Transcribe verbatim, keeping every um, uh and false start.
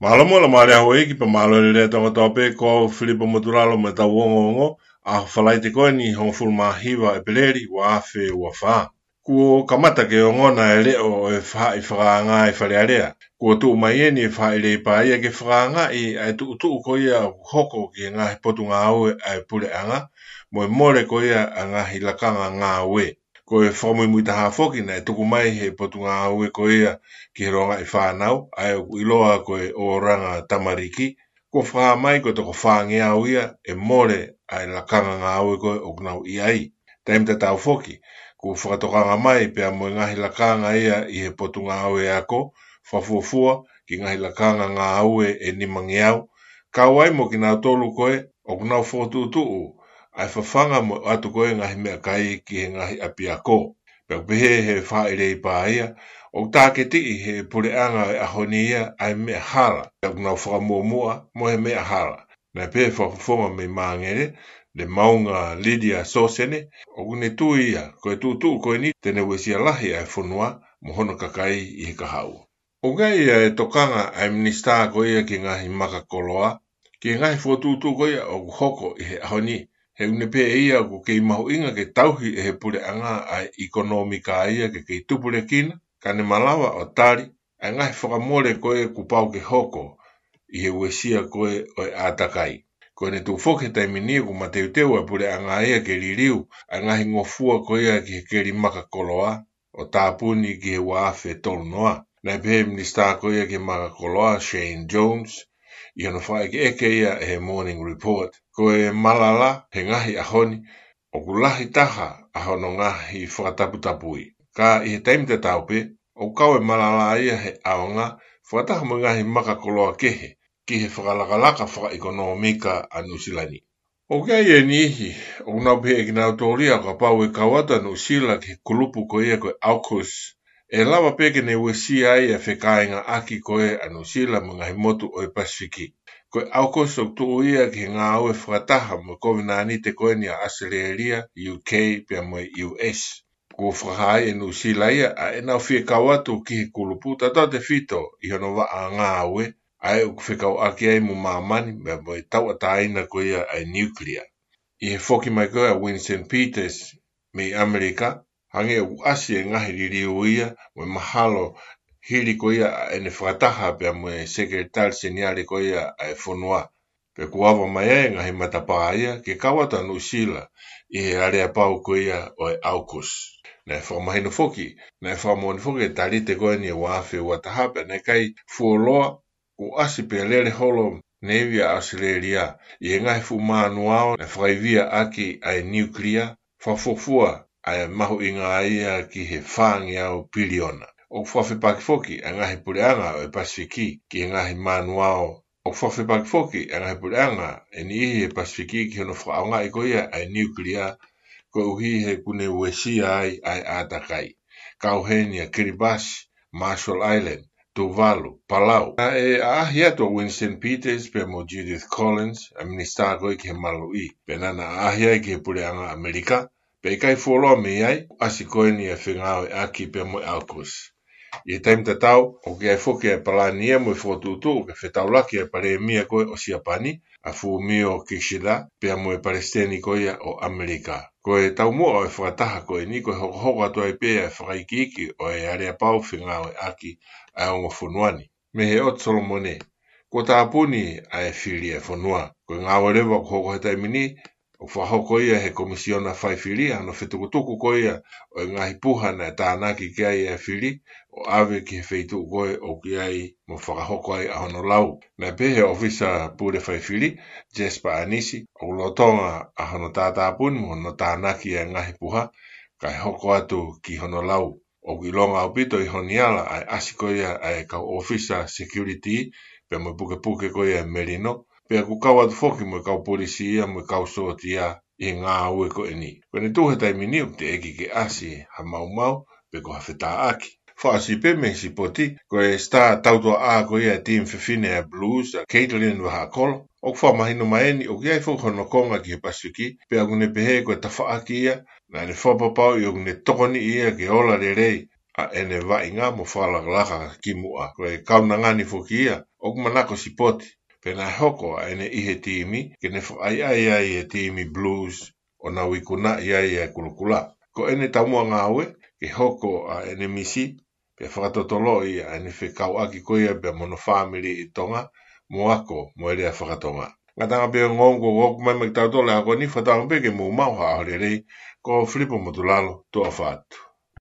Mālō mo la mare a houʻeiki pea mālō e lelei ʻa Tonga kotoa pē, ko au Filipa Motulalo mo ʻetau ongoongo ʻa e Falaite ko eni hongofulu mā hiva ʻEpeleli ua afe ua fā. Kuo kamata ke ongona e leʻo ʻo e faʻahi fakaanga ʻi Fale Alea. Kuo tuʻu mai eni e faʻahi Leipa ia ke fakaangaʻi ʻa e tuʻutuʻu ko ia ʻoku hoko ki he ngaahi potungāue ʻa e puleʻanga mo e mole ko ia ʻa e ngaahi lakanga ngāue. Ko e fakamuimui taha foki naʻe tuku mai he potungāue ko ia ki he longaʻi fānau, ʻa ē ʻoku ʻiloa ko e ʻoranga tamariki, kuo fakahā mai ko e toko fāngeau ia e mole ʻa e lakanga ngāue ko ē ʻoku nau ʻi ai. Taimi tatau foki, kuo fakatokanga mai pea mo e ngaahi lakanga ia ʻi he potungāue ako, fakafuofua ki he ngaahi lakanga ngāue ʻe nimangeau, kau ai mo kinautolu ko ē ʻoku nau fokotuʻutuʻu ʻa e fafanga mo ʻoatu ko ē ngaahi meʻakai ki he ngaahi ʻapiako. Pea ʻoku pehē he faʻahi Leipa ia, ʻoku tāketiʻi he puleʻanga ʻo e ʻaho ni ia ʻa e meʻa hala, pea ʻoku nau fakamuʻomuʻa mo e meʻa hala. Naʻe pehē fakafofonga mei Māngele, Lemaunga Lydia Sosene, ʻoku ne tui ia ko e tuʻutuʻu ko eni te ne uesia lahi ʻa e fonua mo hono kakai ʻi he kahaʻu. ʻOku ʻi ai e tokanga ʻa e minisitā ko ia ki he ngaahi maka koloa ki he ngaahi fokotuʻutuʻu ko ia ʻoku hoko ʻi he ʻaho ni. He ʻoku ne pehē ʻe ia ʻoku kei mahuʻinga ke tauhi ʻe he puleʻanga ʻa e ʻikonōmika ia ke kei tupulekina, ka ne malava ʻo tali ʻa e ngaahi fakamole ko ē kuo pau ke hoko ʻi he uesia ko ē ʻo e ʻātakai. Ko ʻene tuʻu foki he taimi ni ʻoku mateuteu ʻa e puleʻanga ia ke liliu ʻa e ngaahi ngofua ko ia ki he keli maka koloa ʻo tāpuni ki he ua afe tolu noa. Naʻe pehē minisitā ko ia ki he maka koloa Shane Jones ʻi hono fakaʻekeʻeke ia ʻe he Morning Report, ko e malala he ngaahi ʻaho ni ʻoku lahi taha ʻa hono ngaahi fakataputapui. Ka ʻi he taimi tatau pē, ʻoku kau e malala ia he ʻaonga fakataha mo e ngaahi maka koloa kehe ki he fakalakalaka fakaʻikonōmika ʻa Nuʻusila ni. ʻOku ʻi ai e niʻihi ʻoku nau pehē ʻe kinautolu ia ʻo kapau ʻe kau atu ʻa Nuʻusila ki he kulupu ko ia ko e AUKUS, ʻe lava pē ke ne uesia ai ʻa e fekāingaʻaki ko ē ʻa Nuʻusila mo e ngaahi motu ʻo e Pasifiki. Ko e AUKUS ʻoku tuʻu ia ki he ngāue fakataha mo e kovinānite ko eni ʻa ʻAositelēlia, U K pea mo e U S. Kuo fakahā ʻe Nuʻusila ia ʻa ʻenau fie kau atu ki he kulupu tautautefito ʻi hono vaʻa ngāue, ʻa ē ʻoku fekauʻaki ai mo māmani pea mo e tauʻatāina ko ia ʻa e niukilia. ʻI he foki mai ko ia ʻa Winston Peters mei ʻAmelika, hangē ʻoku ʻasi e ngaahi liliu ia mo e mahalo hili ko ia ʻa ʻene fakataha pea mo e Sekelitali Seniale ko ia ʻa e fonua. Pea kuo ava mai ai e ngaahi matapā ia ke kau atu ʻa Nuʻusila ʻi he aleapau ko ia ʻo e AUKUS. Naʻe fakamahino foki, naʻe fakamoʻoni foki e talite ko eni ʻe ua afe ua taha pea naʻe ʻikai fuoloa kuo ʻasi pea lele holo neivi ʻa ʻAositelēlia ʻi he ngaahi fuʻu manuao naʻe fakaivia ʻaki ʻa e niukilia, fakafuofua ʻa e mahuʻinga ia ki he fāngeau piliona. ʻOku fakafepaki foki ʻa e ngaahi puleʻanga ʻo e Pasifiki ki he ngaahi manuao. ʻOku fakafepaki foki ʻa e ngaahi puleʻanga ʻe niʻihi he Pasifiki ki hono fakaʻaongaʻi ko ia ʻa e niukilia, koeʻuhi he ʻoku ne uesia ai ʻa e ʻātakai. Kau heni ʻa Kiribati, Marshall Island, Tuvalu, Palau. Naʻe ʻaʻahi atu ʻa Winston Peters pea mo Judith Collins, ʻa e minisitā ko ē ki he maluʻi. Pea naʻa na ʻaʻahi ai ki he puleʻanga ʻAmelika, pea ʻikai fuoloa mei ai, ʻasi ko eni ʻa e fengāueʻaki pea mo e AUKUS. ʻI he taimi tatau, ʻoku ʻi ai foki ʻa e palani ia mo e fokotuʻutuʻu ke fetaulaki ʻa e palēmia ko ē ʻo Siapani, ʻa Fumio Kishida, pea mo e palesiteni ko ia ʻo ʻAmelika. Ko e taumuʻa ʻo e fakataha ko eni ko e hokohoko atu ai pē ʻa e fakaikiiki ʻo e aleapau fengāueʻaki ʻa e ongo fonua ni. Mei he ʻOtu Solomone, kuo tāpuni ʻa e fili ʻa e fonua. Ko e ngāue leva ʻoku hoko he taimi ni, ʻoku fakahoko ia ʻe he Komisiona Faifili ʻa hono fetukutuku ko ia ʻo e ngaahi puha naʻe tānaki ki ai ʻa e fili, ʻo ʻave ki he feituʻu ko ē ʻoku ʻi ai mo fakahoko ai ʻa hono lau. Naʻe pehē ʻe he ʻōfisa pule faifili, Jasper Anisi, ʻoku lolotonga ʻa hono tātāpuni mo hono tānaki ʻa e ngaahi puha, kae hoko atu ki hono lau. ʻOku ʻilonga ʻaupito ʻi Honiala ʻa e ʻasi ko ia ʻa e kau ʻōfisa security pea mo e pukepuke ko ia ʻa e melino, pea ʻoku kau atu foki mo e kau polisi ia mo e kau sōtia ʻi he ngāue ko eni. Ko ʻene tuʻu he taimi ni ʻoku teʻeki ke ʻasi ha maumau pe ko ha fetāʻaki. Fakaʻosi pē mei he sipoti, ko e sitā tautuaʻā ko ia ʻa e timi fefine ʻa e Blues, ʻa Caitlin Vahaʻakolo, ʻoku fakamahino mai eni ʻoku ʻi ai foki hono konga ki he Pasifiki, pea ʻoku ne pehē ko e tafaʻaki ia naʻa ne fakapapauʻi ʻoku ne tokoniʻi ia ke ola lelei ʻa ʻene vaʻinga mo fakalakalaka ki muʻa. Ko e kaunanga ni foki ia ʻoku manako sipoti, pea naʻe hoko ʻa ʻene ʻi he timi ke ne fakaʻaiʻai ai e timi Blues ʻo nau ikunaʻi ai e kulokula. Ko ʻene taumuʻa ngāue ke hoko ʻa ʻene misi, pea fakatotoloʻi ʻa ʻene fekauʻaki ko ia pea mo hono fāmili ʻi Tonga, mo ako mo e lea fakatonga. Ngataʻanga pē ongo ongo ʻoku mai mai kitautolu ʻa ko eni, fakatauange pē ke mou maʻu ha ʻaho lelei. Ko Filipo Motulalo, tuʻa ʻofa atu.